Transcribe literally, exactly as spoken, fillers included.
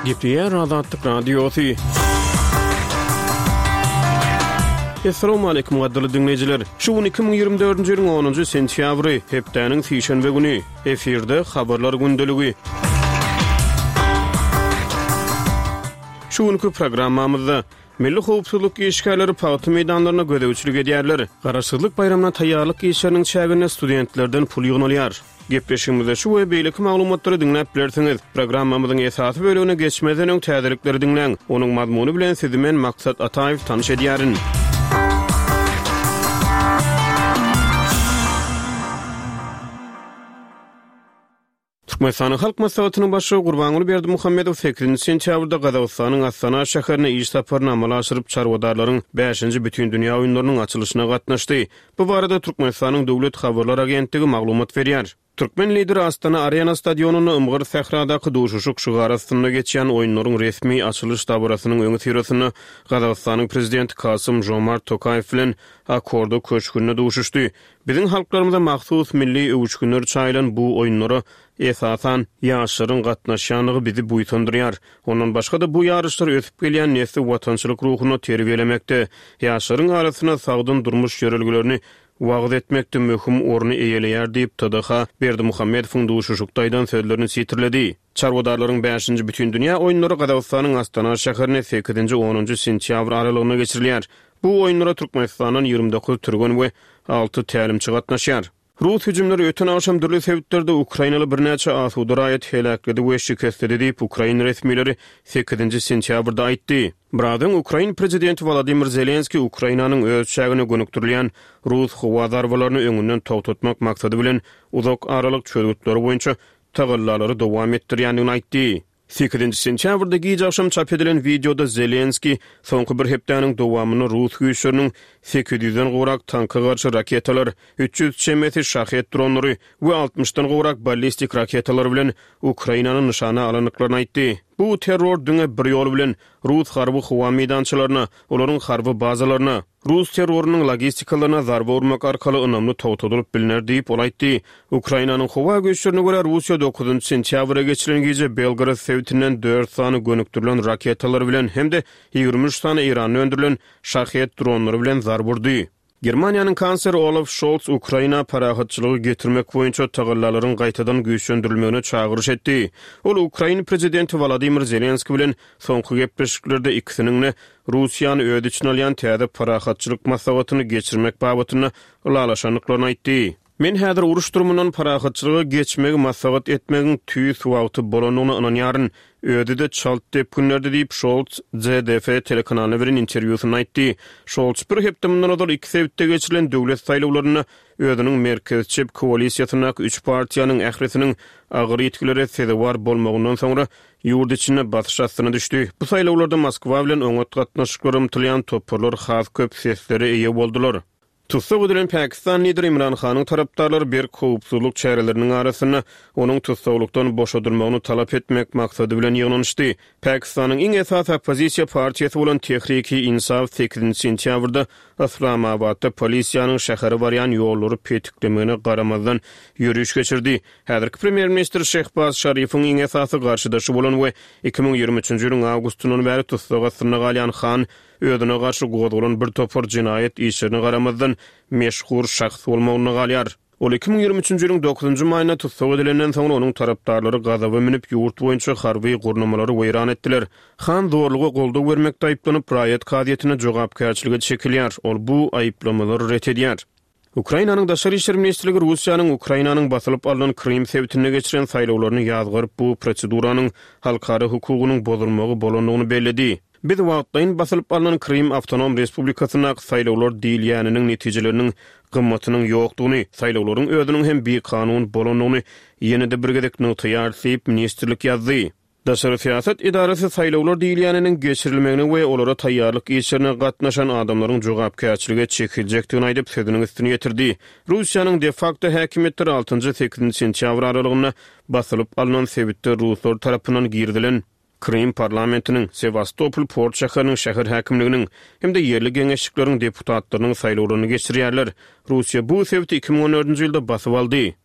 Gepleýär Azatlyk Radiosy. Assalamu gadyrly diňleýjiler. Şu gün iki müň ýigrimi dördünji ýylyň onunjy sentýabry, hepdäniň sişenbe güni. Efirde habarlar gündeligi. Şu günki programmamyzda Milli howpsuzlyk işgärleri pagta meýdanlaryna gözegçilik edýärler. Garaşsyzlyk baýramyna taýýarlyk işleriniň çäginde studentlerden pul ýygnalýar. Gepleşigimizde şu we beýleki maglumatlary diňläp bilersiňiz. Programmamyzyň esasy bölegine geçmezden öň täzelikleri diňläň. Onuň mazmuny bilen sizi men Maksat Ataýew tanyş edýärin. Türkmenistanyň Halk Maslahatynyň Başlygy Gurbanguly Berdimuhamedow sekizinji sentýabrda Gazagystanyň Astana şäherine iş saparyny amala aşyryp, çarwadarlaryň bäşinji Bütindünýä oýunlarynyň açylyşyna gatnaşdy. Bu barada Türkmenistanyň Döwlet habarlar agentligi maglumat berýär. Türkmen Lideri Astana Arena stadionynda Ymgyr sähradaky duşuşyk şygary astynda geçýän oýunlaryň resmi açylyş dabarasynyň öňüsyrasynda Gazagystanyň Prezidenti Kasym-Žomart Tokaýew bilen Akorda köşgünde duşuşdy. Biziň halklarymyza mahsus milli öwüşginler çaýylan bu oýunlara, esasan, ýaşlaryň gatnaşýandygy bizi buýsandyrýar. Ondan başga-da bu ýaryşlar ösüp gelýän nesli watançylyk ruhunda terbiýelemekde, ýaşlaryň arasynda sagdyn durmuş ýörelgelerini wagyz etmekde möhüm orny eýeleýär diýip, T D H Berdimuhamedowyň duşuşykda aýdan sözlerini sitirledi. Çarwadarlaryň bäşinji Bütindünýä oýunlary Gazagystanyň Astana şäherinde sekizinji-onunjy sentýabr aralygynda geçirilýär. Bu oýunlara Türkmenistandan ýigrimi dokuz türgen we alty tälimçi gatnaşýar. Rus hüjümleri öten agşam dürli sebitlerde ukrainaly birnäçe asuda raýaty heläkledi we şikesledi diýip, ukrain resmileri sekizinji sentýabrda aýtdy. Biraz öň ukrain prezidenti Wolodymyr Zelenskiý Ukrainanyň öz çägine gönükdirilýän rus howa zarbalaryny öňünden togtatmak maksady bilen uzak aralyk çözgütleri boýunça tagallalary dowam etdirýändigini aýtdy. Sekizinji sentýabrda gije agşam çap edilen wideoda Zelenskiý soňky bir hepdäniň dowamynda rus güýçleriniň sekiz ýüzden gowrak tanka garşy raketalar, üç ýüz çemesi Şahed dronlary we altmyşdan gowrak ballistik raketalar bilen Ukrainany nyşana alandyklaryny aýtdy. Bu terror diňe bir ýol bilen rus harby howa meýdançalaryna, olaryň harby bazalaryna, rus terrorynyň logistikalaryna zarba urmak arkaly ynamly togtadylyp bilner diýip, ol aýtdy. Ukrainanyň howa güýçlerine görä, Russiýa dokuzynjy sentýabra geçirilen gije Belgorod sebitinden dört sany gönükdirilen raketalar bilen hem-de ýigrimi üç sany Eýranda öndürilen Şahed dronlary bilen zarba urdy. Germaniýanyň kansleri Olaf Şolz Ukraina parahatçylygy getirmek boýunça tagallalaryň gaýtadan güýçlendirilmegine çagyryş etdi. Ol ukrain prezidenti Wolodymyr Zelenskiý bilen soňky gepleşiklerde ikisiniň-de Russiýany öz içine alýan täze parahatçylyk maslahatyny geçirmek babatynda ylalaşandyklaryny aýtdy. Men häzir uruş durumyndan parahatçylyga geçmegi maslahat etmegiň tüýs wagty bolandygyna ynanýaryn. Özi-de çalt depginlerde diýip, Şolz Z D F telekanalyna beren interwýusynda aýtdy. Şolz bir hepde mundan ozal iki sebitde geçirilen döwlet saýlawlarynda özüniň merkez çep koalisiýasyndaky üç partiýanyň ählisiniň agyr ýitgilere sezewar bolmagyndan soňra ýurt içinde basyş astyna düşdi. Bu saýlawlarda Moskwa bilen oňat gatnaşyklara ymtylýan toparlar has köp seslere eýe boldular. Tussag edilen Pakistan lideri Imran Hanyň tarapdarlary berk howpsuzlyk çäreleriniň arasynda onuň tussaglykdan boşadylmagyny talap etmek maksady bilen ýygnanyşdy. Pakistanyň iň esasy oppozisiýa partiýasy bolan Tehriki Insaf sekizinji sentýabrda Yslamabatda polisiýanyň şähere barýan ýollary petiklemegine garamazdan ýöriş geçirdi. Häzirki premýer-ministr Şehbaz Şarifiň iň esasy garşydaşy bolan we iki müň ýigrimi üçünji ýylyň awgustyndan bäri tussag astynda galýan Han özüne garşy gozgalan bir topar jenaýat işlerine garamazdan meşhur şahs bolmagynda galýar. Ol iki müň ýigrimi üçünji ýylyň dokuzynjy maýynda tussag edilenden soňra onuň tarapdarlary gazaba münüp, ýurt boýunça harby gurnamalary weýran etdiler. Han zorluga goldaw bermekde aýyplanyp, raýat kazyýetine jogapkärçilige çekilýär. Ol bu aýyplamalary ret edýär. Ukrainanyň Daşary işler ministrligi Russiýanyň Ukrainanyň basylyp alnan Krym sebitinde geçiren saýlawlaryny ýazgaryp, bu proseduranyň halkara hukugynyň bozulmagy bolandygyny belledi. Biz wagtlaýyn basylyp alnan Krym Awtonom Respublikasyndaky saýlawlar diýilýäniniň netijeleriniň gymmatynyň ýokdugyny, saýlawlaryň özüniň hem bikanun bolandygyny ýene-de bir gezek nygtaýarys diýip, ministrlik ýazdy. Daşary syýasat edarasy saýlawlar diýilýäniniň geçirilmegine we olara taýýarlyk işlerine gatnaşan adamlaryň jogapkärçilige çekiljekdigini aýdyp, sözüniň üstüni ýetirdi. Russiýanyň de-fakto häkimiýetleri altynjy-sekizinji sentýabr aralygynda basylyp alnan sebitde ruslar tarapyndan girizilen Krym parlamentiniň, Sewastopol port şäheriniň şäher häkimliginiň hem-de ýerli geňeşlikleriň deputatlarynyň saýlawlaryny geçirýärler. Russiýa bu sebiti iki müň on dördünji ýylda basyp aldy.